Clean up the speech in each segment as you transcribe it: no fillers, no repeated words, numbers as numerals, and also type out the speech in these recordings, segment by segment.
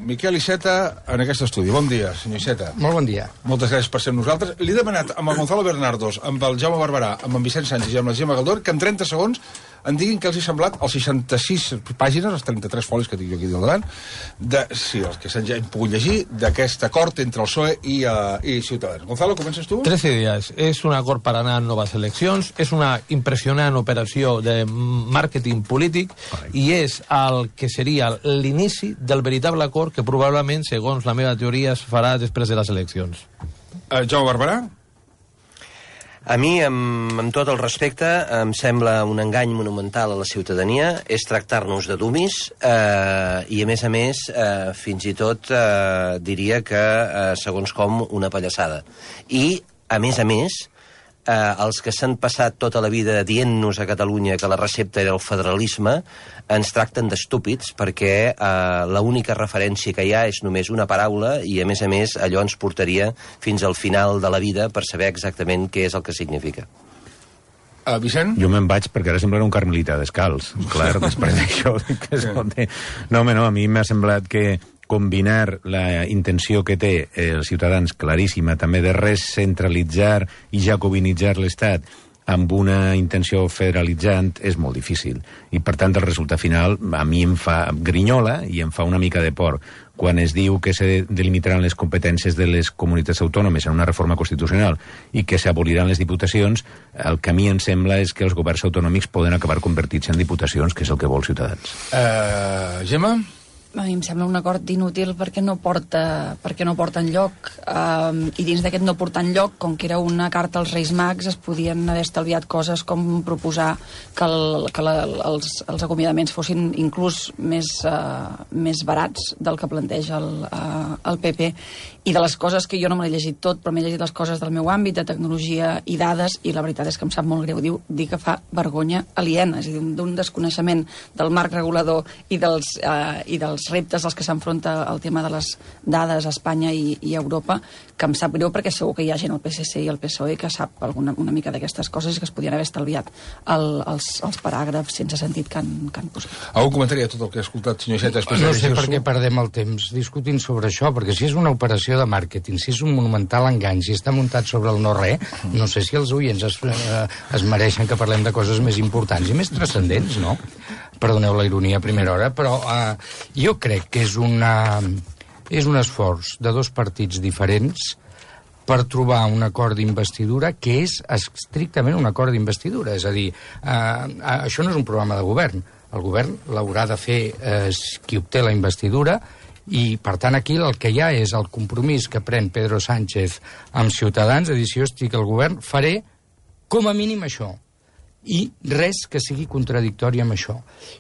Miquel Iceta en aquest estudi. Bon dia, senyor Iceta. Molt bon dia. Moltes gràcies per ser amb nosaltres. Li he demanat amb el Gonzalo Bernardos, amb el Jaume Barberà, amb en Vicent Sánchez i amb la Gemma Galdor que en 30 segons en diguin què els ha semblat els 66 pàgines, els 33 folis que tinc jo aquí al davant, sí, els que s'han ja pogut llegir, d'aquest acord entre el PSOE i Ciutadans. Gonzalo, comences tu? 13 días. Es un acord para anar noves eleccions, és una impressionant operació de màrqueting polític i és el que seria l'inici del veritable acord que probablement, segons la meva teoria, es farà després de les eleccions. Jaume Barberà? A mi, amb tot el respecte, em sembla un engany monumental a la ciutadania, és tractar-nos de dummies i, a més, fins i tot diria que, segons com, una pallassada. I, a més, els que s'han passat tota la vida dient-nos a Catalunya que la recepta era el federalisme, ens tracten d'estúpids perquè l'única referència que hi ha és només una paraula i, a més, allò ens portaria fins al final de la vida per saber exactament què és el que significa. Vicent? Jo me'n vaig perquè ara sembla un carmelita descalç. Clar, després d'això... No, a mi m'ha semblat que combinar la intenció que té els ciutadans claríssima també de recentralitzar i jacobinitzar l'Estat amb una intenció federalitzant és molt difícil. I, per tant, el resultat final a mi em fa grinyola i em fa una mica de por. Quan es diu que se delimitaran les competències de les comunitats autònomes en una reforma constitucional i que s'aboliran les diputacions, el que a mi em sembla és que els governs autonòmics poden acabar convertits en diputacions, que és el que vol Ciutadans. Gemma? A mi em sembla un acord inútil perquè no porta enlloc i dins d'aquest no portar enlloc, com que era una carta als Reis Mags, es podien haver estalviat coses com proposar que els acomiadaments fossin inclús més barats del que planteja el PP. I de les coses que jo no me l'he llegit tot, però m'he llegit les coses del meu àmbit de tecnologia i dades, i la veritat és que em sap molt greu dir que fa vergonya aliena, és a dir, d'un desconeixement del marc regulador i dels reptes als que s'enfronta el tema de les dades a Espanya i a Europa, que em sap greu perquè segur que hi ha gent al PSC i al PSOE que sap una mica d'aquestes coses i que es podien haver estalviat els paràgrafs sense sentit que han posat. Algun comentari a tot el que ha escoltat, senyor Iceta? No sé per què perdem el temps discutint sobre això, perquè si és una operació de màrqueting, si és un monumental engany, si està muntat sobre el no-res, no sé si els oients es mereixen que parlem de coses més importants i més transcendents, no? Perdoneu la ironia a primera hora, però jo crec que és un esforç de dos partits diferents per trobar un acord d'investidura que és estrictament un acord d'investidura. És a dir, això no és un programa de govern. El govern l'haurà de fer qui obté la investidura i, per tant, aquí el que hi ha és el compromís que pren Pedro Sánchez amb Ciutadans, de dir, si jo estic al govern, faré com a mínim això. I res que sigui contradictori amb això.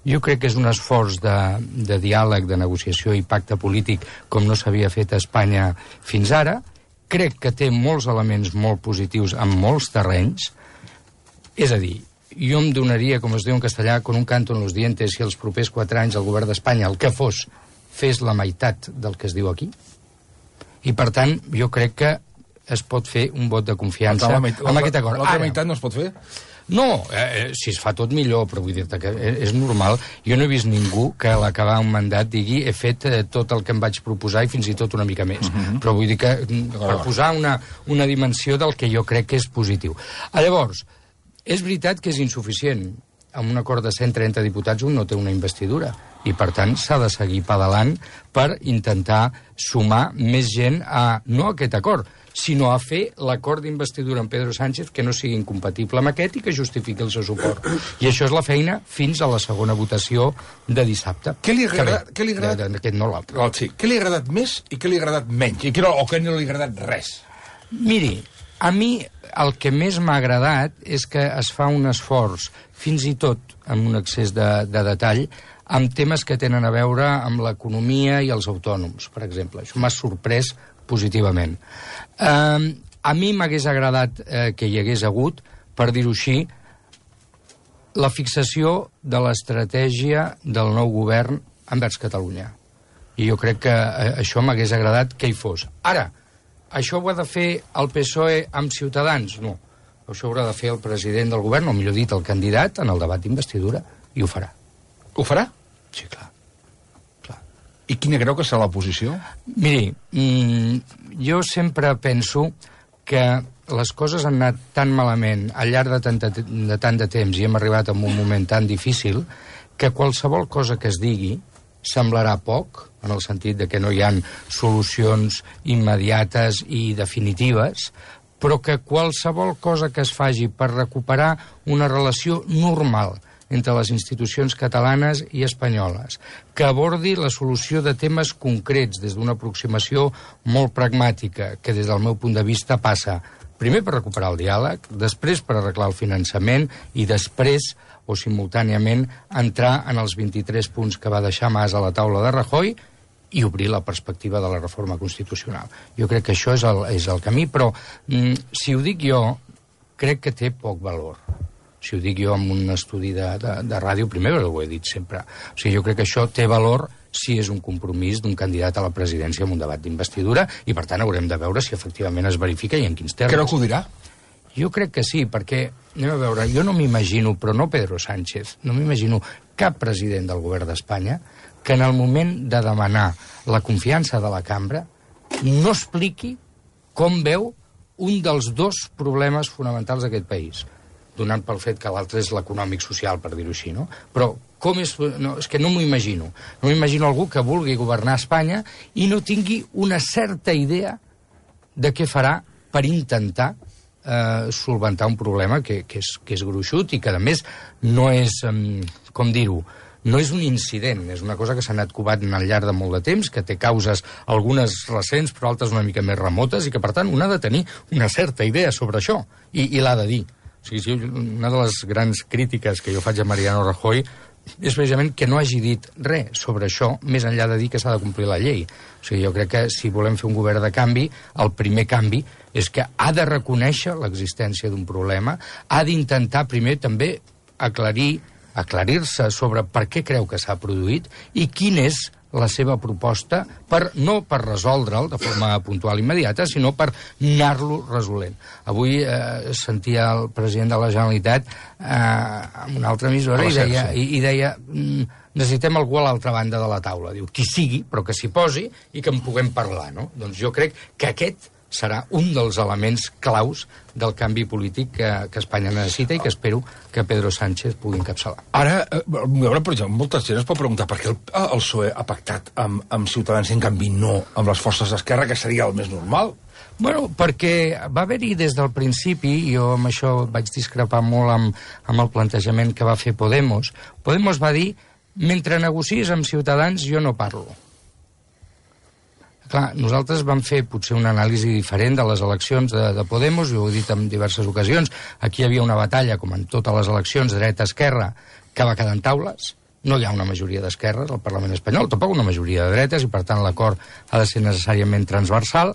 Jo crec que és un esforç de diàleg, de negociació i pacte polític com no s'havia fet a Espanya fins ara. Crec que té molts elements molt positius en molts terrenys. És a dir, jo em donaria, com es diu en castellà, con un canto en los dientes si els propers 4 anys el govern d'Espanya, el que fos, fes la meitat del que es diu aquí. I, per tant, jo crec que es pot fer un vot de confiança amb aquest acord. L'altra meitat no es pot fer? No, si es fa tot millor, però vull dir-te que és normal. Jo no he vist ningú que a l'acabar un mandat digui he fet tot el que em vaig proposar i fins i tot una mica més. Però vull dir que per posar una dimensió del que jo crec que és positiu. Llavors, és veritat que és insuficient. Amb un acord de 130 diputats un no té una investidura i, per tant, s'ha de seguir pedalant per intentar sumar més gent no a aquest acord, sinó a fer l'acord d'investidura amb Pedro Sánchez que no sigui incompatible amb aquest i que justifiqui el seu suport. I això és la feina fins a la segona votació de dissabte. Què li ha agradat? Aquest no l'altre. Sí. Què li ha agradat més i què li ha agradat menys? O què no li ha agradat res? Miri, a mi el que més m'ha agradat és que es fa un esforç, fins i tot amb un excés de detall, amb temes que tenen a veure amb l'economia i els autònoms, per exemple. Això m'ha sorprès positivament. A mi m'hagués agradat que hi hagués hagut, per dir-ho així, la fixació de l'estratègia del nou govern envers Catalunya. I jo crec que això m'hagués agradat que hi fos. Ara, això ho ha de fer el PSOE amb Ciutadans? No. Això ho haurà de fer el president del govern, o millor dit, el candidat, en el debat d'investidura, i ho farà. Ho farà? Sí, clar. I quina creu que serà la posició? Miri, jo sempre penso que les coses han anat tan malament al llarg de tant de temps i hem arribat a un moment tan difícil que qualsevol cosa que es digui semblarà poc, en el sentit de que no hi ha solucions immediates i definitives, però que qualsevol cosa que es faci per recuperar una relació normal entre les institucions catalanes i espanyoles, que abordi la solució de temes concrets des d'una aproximació molt pragmàtica, que des del meu punt de vista passa primer per recuperar el diàleg, després per arreglar el finançament i després o simultàniament entrar en els 23 punts que va deixar Mas a la taula de Rajoy i obrir la perspectiva de la reforma constitucional. Jo crec que això és el camí, però si ho dic jo, crec que té poc valor. Si ho dic jo en un estudi de ràdio, primer ho he dit sempre. O sigui, jo crec que això té valor si és un compromís d'un candidat a la presidència en un debat d'investidura i, per tant, haurem de veure si efectivament es verifica i en quins termes. Creu que ho dirà? Jo crec que sí, perquè, anem a veure, jo no m'imagino, però no Pedro Sánchez, no m'imagino cap president del govern d'Espanya que en el moment de demanar la confiança de la cambra no expliqui com veu un dels dos problemes fonamentals d'aquest país, donant pel fet que l'altre és l'econòmic-social, per dir-ho així, no? Però com és... No, és que no m'ho imagino. No m'imagino algú que vulgui governar Espanya i no tingui una certa idea de què farà per intentar solventar un problema que és gruixut i que, a més, no és, com dir-ho, no és un incident, és una cosa que s'ha anat covant al llarg de molt de temps, que té causes, algunes recents, però altres una mica més remotes, i que, per tant, un ha de tenir una certa idea sobre això, i l'ha de dir. O sigui, una de les grans crítiques que jo faig a Mariano Rajoy és precisament que no hagi dit res sobre això, més enllà de dir que s'ha de complir la llei. O sigui, jo crec que si volem fer un govern de canvi, el primer canvi és que ha de reconèixer l'existència d'un problema, ha d'intentar primer també aclarir-se sobre per què creu que s'ha produït i quin és la seva proposta, no per resoldre'l de forma puntual immediata, sinó per anar-lo resolent. Avui sentia el president de la Generalitat en una altra emissora i deia necessitem algú a l'altra banda de la taula. Diu, qui sigui, però que s'hi posi i que en puguem parlar, no? Doncs jo crec que aquest serà un dels elements claus del canvi polític que Espanya necessita i que espero que Pedro Sánchez pugui encapçalar. Ara, per exemple, molta gent es pot preguntar per què el PSOE ha pactat amb Ciutadans i en canvi no amb les forces d'esquerra, que seria el més normal? Bueno, perquè va haver-hi des del principi, i jo amb això vaig discrepar molt amb el plantejament que va fer Podemos. Podemos va dir, mentre negocies amb Ciutadans jo no parlo. Clar, nosaltres vam fer potser una anàlisi diferent de les eleccions de Podemos, jo ho he dit en diverses ocasions, aquí hi havia una batalla, com en totes les eleccions, dreta-esquerra, que va quedar en taules, no hi ha una majoria d'esquerres al Parlament espanyol, tampoc una majoria de dretes, i per tant l'acord ha de ser necessàriament transversal.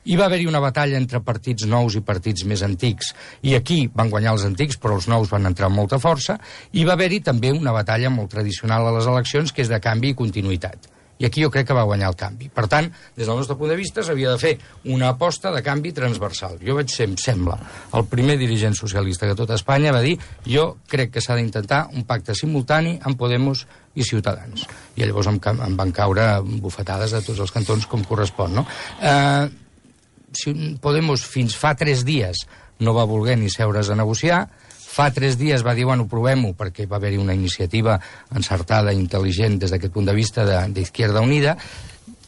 Hi va haver-hi una batalla entre partits nous i partits més antics, i aquí van guanyar els antics, però els nous van entrar amb molta força, i va haver-hi també una batalla molt tradicional a les eleccions, que és de canvi i continuïtat. I aquí jo crec que va guanyar el canvi. Per tant, des del nostre punt de vista, s'havia de fer una aposta de canvi transversal. Jo vaig ser, em sembla, el primer dirigent socialista que tot Espanya va dir jo crec que s'ha d'intentar un pacte simultani amb Podemos i Ciutadans. I llavors em van caure bufetades de tots els cantons com correspon, no? Podemos fins fa 3 dies no va voler ni seure's a negociar. Fa 3 dies va dir, bueno, provem-ho, perquè va haver-hi una iniciativa encertada i intel·ligent des d'aquest punt de vista d'Izquierda Unida.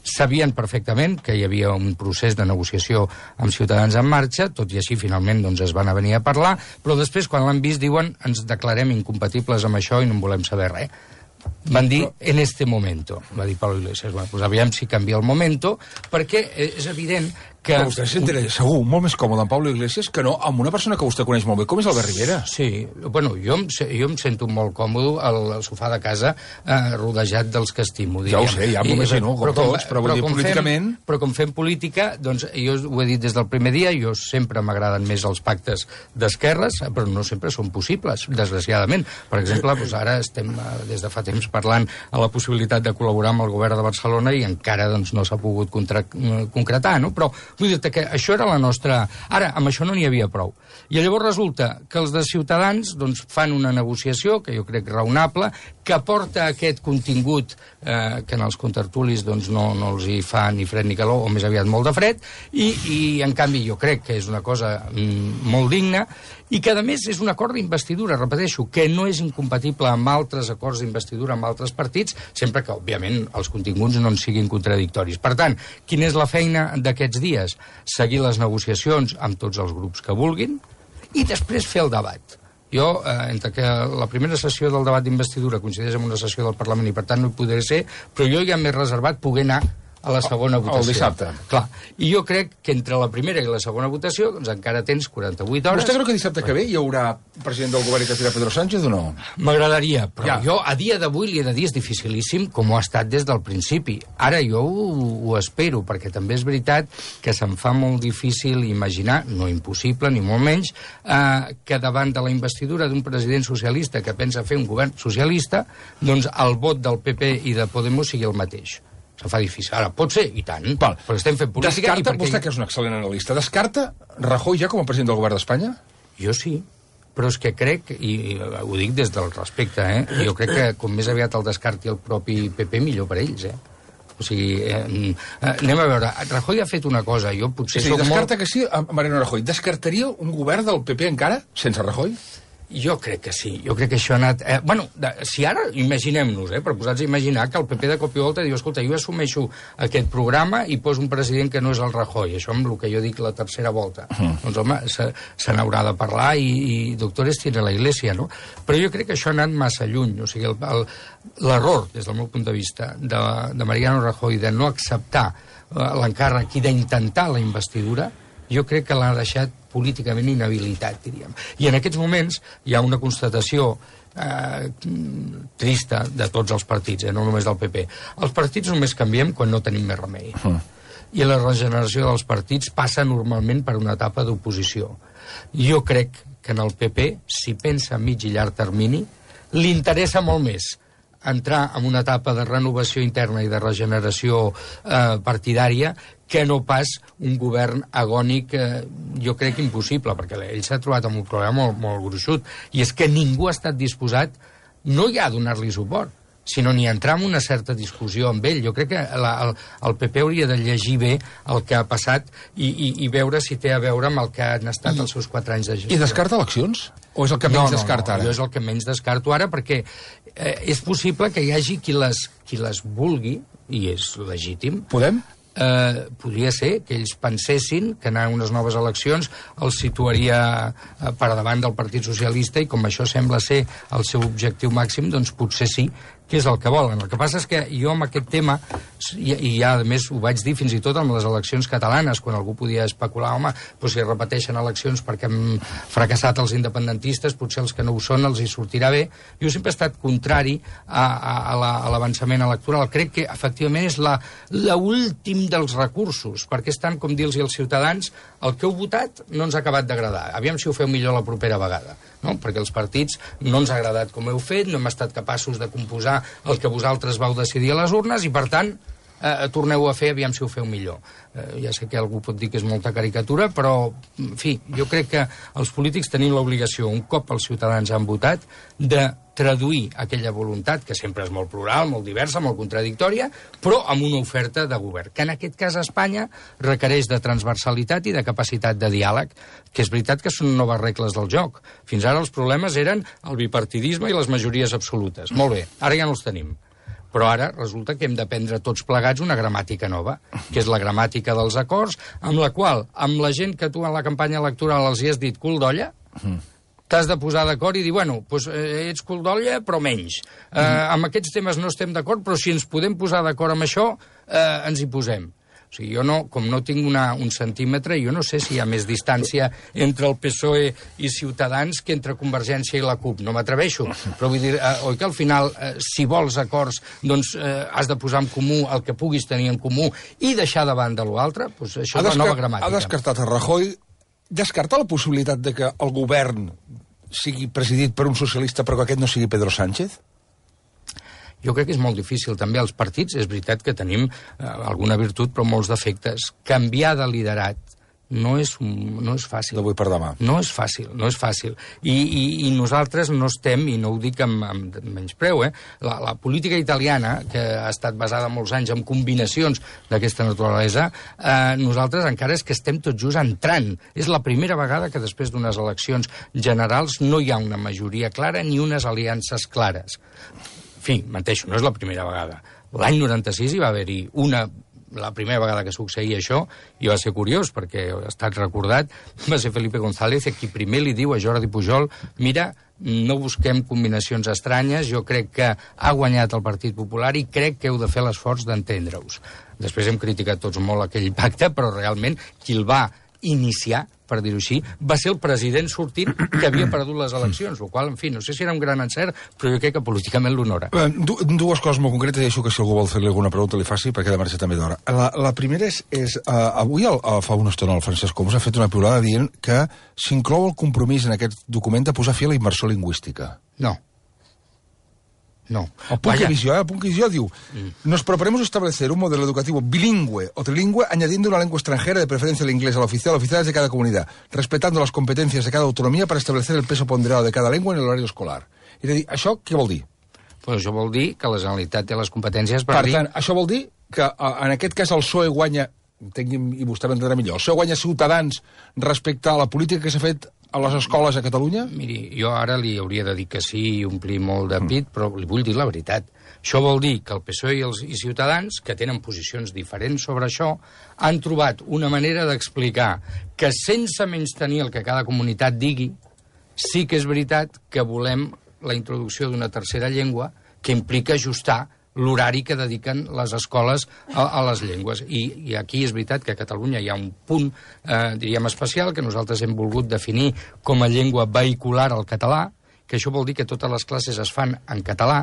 Sabien perfectament que hi havia un procés de negociació amb Ciutadans en marxa, tot i així finalment doncs, es van venir a parlar, però després quan l'han vist diuen ens declarem incompatibles amb això i no en volem saber res. Van dir en este momento, va dir Pablo Iglesias. Bueno, doncs aviam si canvia el momento, perquè és evident que... Però vostè se sentirà segur molt més còmode amb Pablo Iglesias que no amb una persona que vostè coneix molt bé, com és Albert Rivera. Sí, bueno, jo em sento molt còmode al sofà de casa rodejat dels que estimo. Ja ho sé, ja m'imagino, com tots, però vull dir, políticament... Però com fem política, doncs jo ho he dit des del primer dia, jo sempre m'agraden més els pactes d'esquerres, però no sempre són possibles, desgraciadament. Per exemple, doncs ara estem des de fa temps parlant a la possibilitat de col·laborar amb el govern de Barcelona i encara doncs, no s'ha pogut concretar, no? Però vull dir-te que això era la nostra... Ara, amb això no n'hi havia prou. I llavors resulta que els de Ciutadans doncs, fan una negociació, que jo crec raonable, que porta aquest contingut que en els contertulis doncs, no els hi fa ni fred ni calor, o més aviat molt de fred, i en canvi jo crec que és una cosa molt digna, i que a més és un acord d'investidura, repeteixo, que no és incompatible amb altres acords d'investidura amb altres partits, sempre que, òbviament, els continguts no en siguin contradictoris. Per tant, quina és la feina d'aquests dies? Seguir les negociacions amb tots els grups que vulguin i després fer el debat. Jo, entre que la primera sessió del debat d'investidura coincideix amb una sessió del Parlament i per tant no hi podré ser, però jo ja m'he reservat poder anar a la segona votació. El dissabte. Clar. I jo crec que entre la primera i la segona votació doncs encara tens 48 hores. Vostè creu que dissabte que ve hi haurà president del govern que serà Pedro Sánchez o no? M'agradaria, però jo a dia d'avui li he de dir és dificilíssim com ho ha estat des del principi. Ara jo ho espero, perquè també és veritat que se'm fa molt difícil imaginar, no impossible ni molt menys, que davant de la investidura d'un president socialista que pensa fer un govern socialista, doncs el vot del PP i de Podemos sigui el mateix. Se fa difícil. Ara, pot ser, i tant, però estem fent política... Descarta, vostè que és un excel·lent analista, descarta Rajoy ja com a president del govern d'Espanya? Jo sí, però és que crec, i ho dic des del respecte, jo crec que com més aviat el descarti el propi PP, millor per ells, O sigui, anem a veure, Rajoy ha fet una cosa, jo potser soc descarta que sí, Mariano Rajoy, descartaria un govern del PP encara, sense Rajoy? Jo crec que sí, jo crec que això ha anat... si ara, imaginem-nos, per posar-nos a imaginar que el PP de cop i volta diu, escolta, jo assumeixo aquest programa i poso un president que no és el Rajoy, això amb el que jo dic la tercera volta. Doncs, home, se n'haurà de parlar i doctores tiene la Iglesia, no? Però jo crec que això ha anat massa lluny, o sigui, l'error, des del meu punt de vista, de Mariano Rajoy de no acceptar l'encàrrec i d'intentar la investidura, jo crec que l'ha deixat políticament inhabilitat, diríem. I en aquests moments hi ha una constatació trista de tots els partits, no només del PP. Els partits només canviem quan no tenim més remei. I la regeneració dels partits passa normalment per una etapa d'oposició. Jo crec que en el PP, si pensa a mig i llarg termini, li interessa molt més entrar en una etapa de renovació interna i de regeneració partidària que no pas un govern agònic, jo crec impossible, perquè ell s'ha trobat amb un problema molt gruixut, i és que ningú ha estat disposat no ja a donar-li suport, sinó ni a entrar en una certa discussió amb ell. Jo crec que el PP hauria de llegir bé el que ha passat i veure si té a veure amb el que han estat els seus 4 anys de gestió. I descarta eleccions? O és el que menys descarta ara? Jo és el que menys descarto ara, perquè és possible que hi hagi qui les vulgui, i és legítim. Podem? Podria ser que ells pensessin que anar a unes noves eleccions els situaria per davant del Partit Socialista i com això sembla ser el seu objectiu màxim, doncs potser sí que és el que volen. El que passa és que jo amb aquest tema, i ja a més ho vaig dir fins i tot amb les eleccions catalanes, quan algú podia especular, home, doncs si repeteixen eleccions perquè han fracassat els independentistes, potser els que no ho són els hi sortirà bé. Jo sempre he estat contrari a l'avançament electoral. Crec que efectivament és l'últim dels recursos, perquè és tant com dir-los als ciutadans el que heu votat no ens ha acabat d'agradar. Aviam si ho feu millor la propera vegada. No? Perquè els partits no ens ha agradat com heu fet, no hem estat capaços de composar el que vosaltres vau decidir a les urnes i, per tant, torneu a fer, aviam si ho feu millor. Ja sé que algú pot dir que és molta caricatura, però, en fi, jo crec que els polítics tenim l'obligació, un cop els ciutadans han votat, de traduir aquella voluntat, que sempre és molt plural, molt diversa, molt contradictòria, però amb una oferta de govern, que en aquest cas a Espanya requereix de transversalitat i de capacitat de diàleg, que és veritat que són noves regles del joc. Fins ara els problemes eren el bipartidisme i les majories absolutes. Molt bé, ara ja no els tenim. Però ara resulta que hem d'aprendre tots plegats una gramàtica nova, que és la gramàtica dels acords, amb la qual, amb la gent que tu en la campanya electoral els hi has dit cul d'olla, t'has de posar d'acord i dir, bueno, doncs ets cul d'olla, però menys. Amb aquests temes no estem d'acord, però si ens podem posar d'acord amb això, ens hi posem. O sigui, jo com no tinc un centímetre, jo no sé si hi ha més distància entre el PSOE i Ciutadans que entre Convergència i la CUP. No m'atreveixo. Però vull dir, oi que al final, si vols acords, doncs has de posar en comú el que puguis tenir en comú i deixar de banda l'altre? Doncs això és la nova gramàtica. Ha descartat a Rajoy, descartar la possibilitat de que el govern sigui presidit per un socialista però que aquest no sigui Pedro Sánchez? Jo crec que és molt difícil. També als partits és veritat que tenim alguna virtut però molts defectes. Canviar de liderat no és fàcil. D'avui per demà. No és fàcil. I nosaltres no estem, i no ho dic amb menyspreu, la política italiana, que ha estat basada molts anys en combinacions d'aquesta naturalesa, nosaltres encara és que estem tot just entrant. És la primera vegada que després d'unes eleccions generals no hi ha una majoria clara ni unes aliances clares. En fi, menteixo, no és la primera vegada. L'any 96 hi va haver-hi la primera vegada que succeïa això, i va ser curiós, perquè ha estat recordat, va ser Felipe González qui primer li diu a Jordi Pujol: mira, no busquem combinacions estranyes, jo crec que ha guanyat el Partit Popular i crec que heu de fer l'esforç d'entendre-us. Després hem criticat tots molt aquell pacte, però realment qui el va iniciar, per dir-ho així, va ser el president sortint que havia perdut les eleccions, el qual, en fi, no sé si era un gran encert, però jo crec que políticament l'honora. Dues coses molt concretes, i deixo que si algú vol fer-li alguna pregunta li faci, perquè demà també d'hora. La primera és avui fa una estona el Francesc Homs ha fet una piulada dient que s'inclou el compromís en aquest document de posar fi a la immersió lingüística. No. El punt que visión diu: nos proponemos establecer un modelo educativo bilingüe o trilingüe añadiendo una lengua extranjera, de preferencia el inglés, a la oficiales de cada comunidad, respetando las competencias de cada autonomía para establecer el peso ponderado de cada lengua en el horario escolar. És a dir, això què vol dir? Pues això vol dir que la Generalitat té les competències per dir... Per tant, això vol dir que en aquest cas el PSOE guanya, i vostè m'entendrà millor, el PSOE guanya Ciutadans respecte a la política que s'ha fet a les escoles a Catalunya? Miri, jo ara li hauria de dir que sí i omplir molt de pit, però li vull dir la veritat. Això vol dir que el PSOE i Ciutadans, que tenen posicions diferents sobre això, han trobat una manera d'explicar que sense menystenir el que cada comunitat digui, sí que és veritat que volem la introducció d'una tercera llengua que implica ajustar l'horari que dediquen les escoles a les llengües. I aquí és veritat que a Catalunya hi ha un punt, diríem, especial, que nosaltres hem volgut definir com a llengua vehicular al català, que això vol dir que totes les classes es fan en català,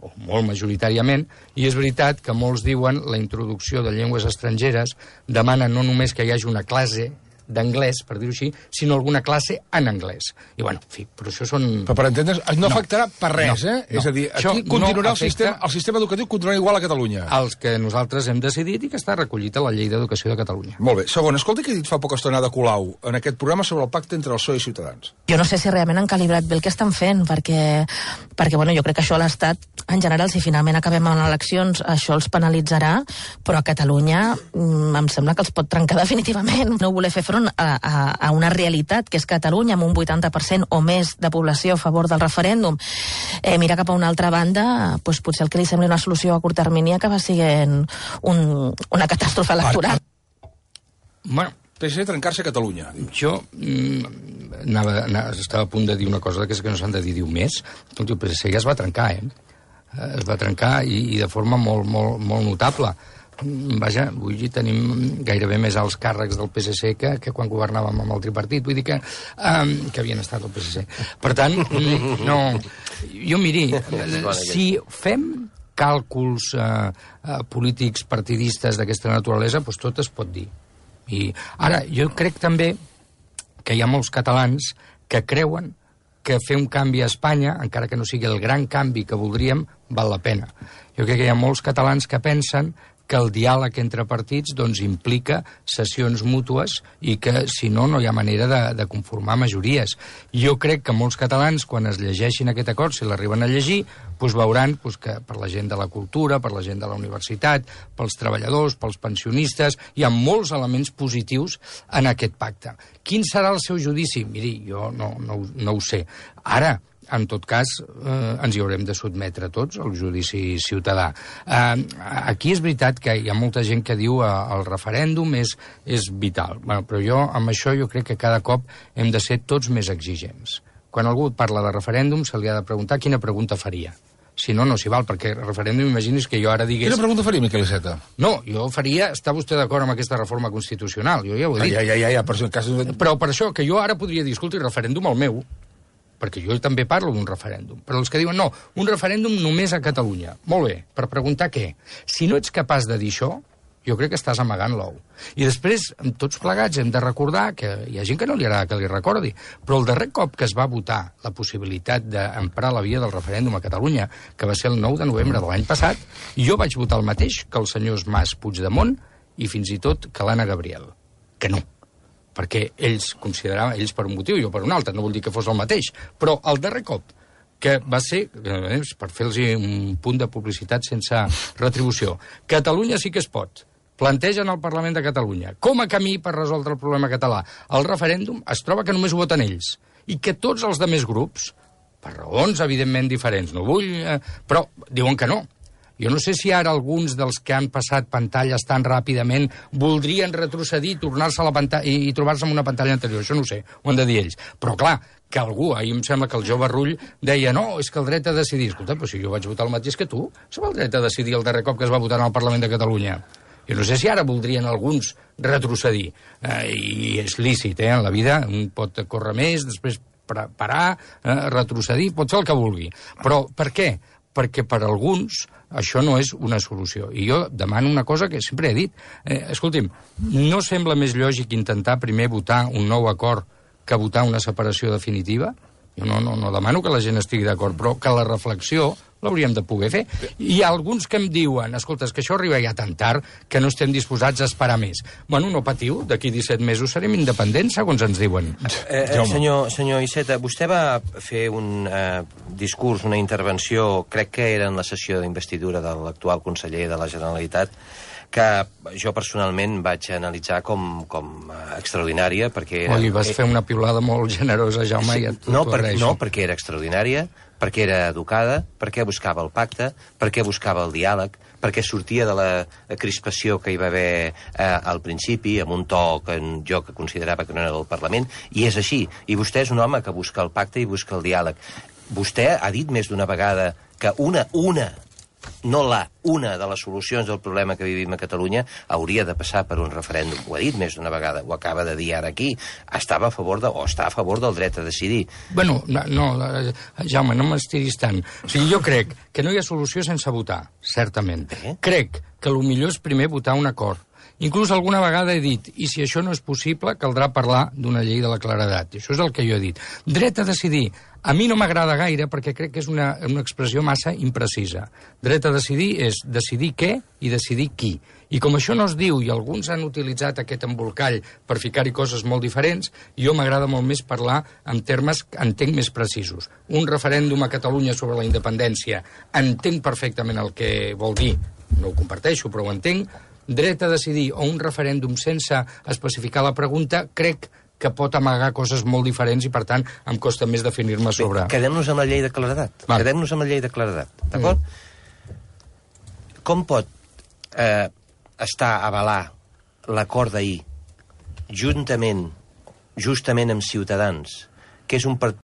o molt majoritàriament, i és veritat que molts diuen la introducció de llengües estrangeres demana no només que hi hagi una classe d'anglès, per dir-ho així, sinó alguna classe en anglès. I, bueno, en fi, però això són... Però per entendre's, no afectarà per res, No. És a dir, aquí continuarà el sistema educatiu continuarà igual a Catalunya. Els que nosaltres hem decidit i que està recollit a la Llei d'Educació de Catalunya. Molt bé. Segon, escolta que he dit fa poca estona de Colau en aquest programa sobre el pacte entre el PSOE i Ciutadans. Jo no sé si realment han calibrat bé el que estan fent, perquè bueno, jo crec que això a l'Estat, en general, si finalment acabem en eleccions, això els penalitzarà, però a Catalunya em sembla que els pot trencar definitivament. No voler fer front a una realitat, que és Catalunya, amb un 80% o més de població a favor del referèndum. Mira cap a una altra banda, doncs potser el que li sembli una solució a curt termini acaba sent una catàstrofe electoral. Bueno, PSC trencar-se a Catalunya. jo estava a punt de dir una cosa que és que no s'han de dir més. El PSC ja es va trencar, es va trencar i de forma molt, molt, molt notable. Vaja, vull dir, tenim gairebé més alts càrrecs del PSC que quan governàvem amb el tripartit, vull dir que havien estat al PSC. Per tant, no... Jo, miri, si fem càlculs polítics partidistes d'aquesta naturalesa, doncs tot es pot dir. I ara, jo crec també que hi ha molts catalans que creuen que fer un canvi a Espanya, encara que no sigui el gran canvi que voldríem, val la pena. Jo crec que hi ha molts catalans que pensen que el diàleg entre partits doncs, implica cessions mútues i que, si no, no hi ha manera de conformar majories. Jo crec que molts catalans, quan es llegeixin aquest acord, si l'arriben a llegir, doncs veuran que per la gent de la cultura, per la gent de la universitat, pels treballadors, pels pensionistes, hi ha molts elements positius en aquest pacte. Quin serà el seu judici? Miri, jo no ho sé. Ara, en tot cas, ens hi haurem de sotmetre tots al judici ciutadà. Aquí és veritat que hi ha molta gent que diu que el referèndum és vital. Però jo, amb això, jo crec que cada cop hem de ser tots més exigents. Quan algú parla de referèndum, se li ha de preguntar quina pregunta faria. Si no, no s'hi val, perquè el referèndum, imagini's que jo ara digués... Quina pregunta faria, Miquel Iceta? No, jo faria... Està vostè d'acord amb aquesta reforma constitucional? Jo ja ho he dit. Ja, per cas... Però per això, que jo ara podria dir, escolti, referèndum el meu, perquè jo també parlo d'un referèndum. Però els que diuen, no, un referèndum només a Catalunya. Molt bé, per preguntar què? Si no ets capaç de dir això, jo crec que estàs amagant l'ou. I després, tots plegats, hem de recordar que hi ha gent que no li agrada que li recordi, però el darrer cop que es va votar la possibilitat d'emprar la via del referèndum a Catalunya, que va ser el 9 de novembre de l'any passat, jo vaig votar el mateix que els senyors Mas, Puigdemont i fins i tot que l'Anna Gabriel. Que no. Perquè ells consideraven, ells per un motiu i jo per un altre, no vull dir que fos el mateix, però el darrer cop que va ser, per fer-los un punt de publicitat sense retribució, Catalunya sí que es pot, plantegen al Parlament de Catalunya com a camí per resoldre el problema català. El referèndum es troba que només ho voten ells i que tots els altres grups, per raons evidentment diferents, no vull, però diuen que no. Jo no sé si ara alguns dels que han passat pantalles tan ràpidament voldrien retrocedir, tornar-se a la pantalla i trobar-se en una pantalla anterior. Això no ho sé, ho han de dir ells. Però clar, que algú, ahir em sembla que el jove Rull deia no, és que el dret a decidir. Escolta, però si jo vaig votar el mateix que tu, sobre el dret a decidir el darrer cop que es va votar en el Parlament de Catalunya. Jo no sé si ara voldrien alguns retrocedir. I és lícit, en la vida un pot córrer més, després parar, retrocedir, pot fer el que vulgui. Però per què? Perquè per alguns això no és una solució. I jo demano una cosa que sempre he dit. Escolti'm, no sembla més lògic intentar primer votar un nou acord que votar una separació definitiva? Jo no demano que la gent estigui d'acord, però que la reflexió l'hauríem de poder fer. Hi ha alguns que em diuen, escolta, és que això arriba ja tan tard que no estem disposats a esperar més. Bueno, no patiu, d'aquí 17 mesos serem independents, segons ens diuen. Senyor Iceta, vostè va fer un discurs, una intervenció, crec que era en la sessió d'investidura de l'actual conseller de la Generalitat, que jo personalment vaig analitzar com extraordinària, perquè... Li vas fer una piulada molt generosa, Jaume, sí, i t'ho agraeixo. No, perquè era extraordinària, perquè era educada, perquè buscava el pacte, perquè buscava el diàleg, perquè sortia de la crispació que hi va haver al principi, amb un to que jo que considerava que no era del Parlament, i és així. I vostè és un home que busca el pacte i busca el diàleg. Vostè ha dit més d'una vegada que una de les solucions del problema que vivim a Catalunya hauria de passar per un referèndum. Ho ha dit més d'una vegada, ho acaba de dir ara aquí. Està a favor del dret a decidir. Bueno, no, Jaume, no m'estiris tant. O sigui, jo crec que no hi ha solució sense votar, certament. Crec que el millor és primer votar un acord. Inclús alguna vegada he dit, i si això no és possible, caldrà parlar d'una llei de la claredat. Això és el que jo he dit. Dret a decidir. A mi no m'agrada gaire perquè crec que és una expressió massa imprecisa. Dret a decidir és decidir què i decidir qui. I com això no es diu, i alguns han utilitzat aquest embolcall per ficar-hi coses molt diferents, jo m'agrada molt més parlar en termes que entenc més precisos. Un referèndum a Catalunya sobre la independència, entenc perfectament el que vol dir, no ho comparteixo, però ho entenc. Dret a decidir o un referèndum sense especificar la pregunta, crec que pot amagar coses molt diferents i, per tant, em costa més definir-me sobre... Quedem-nos amb la llei de claredat. Quedem-nos amb la llei de claredat, d'acord? Com pot avalar l'acord d'ahir justament amb Ciutadans, que és un partit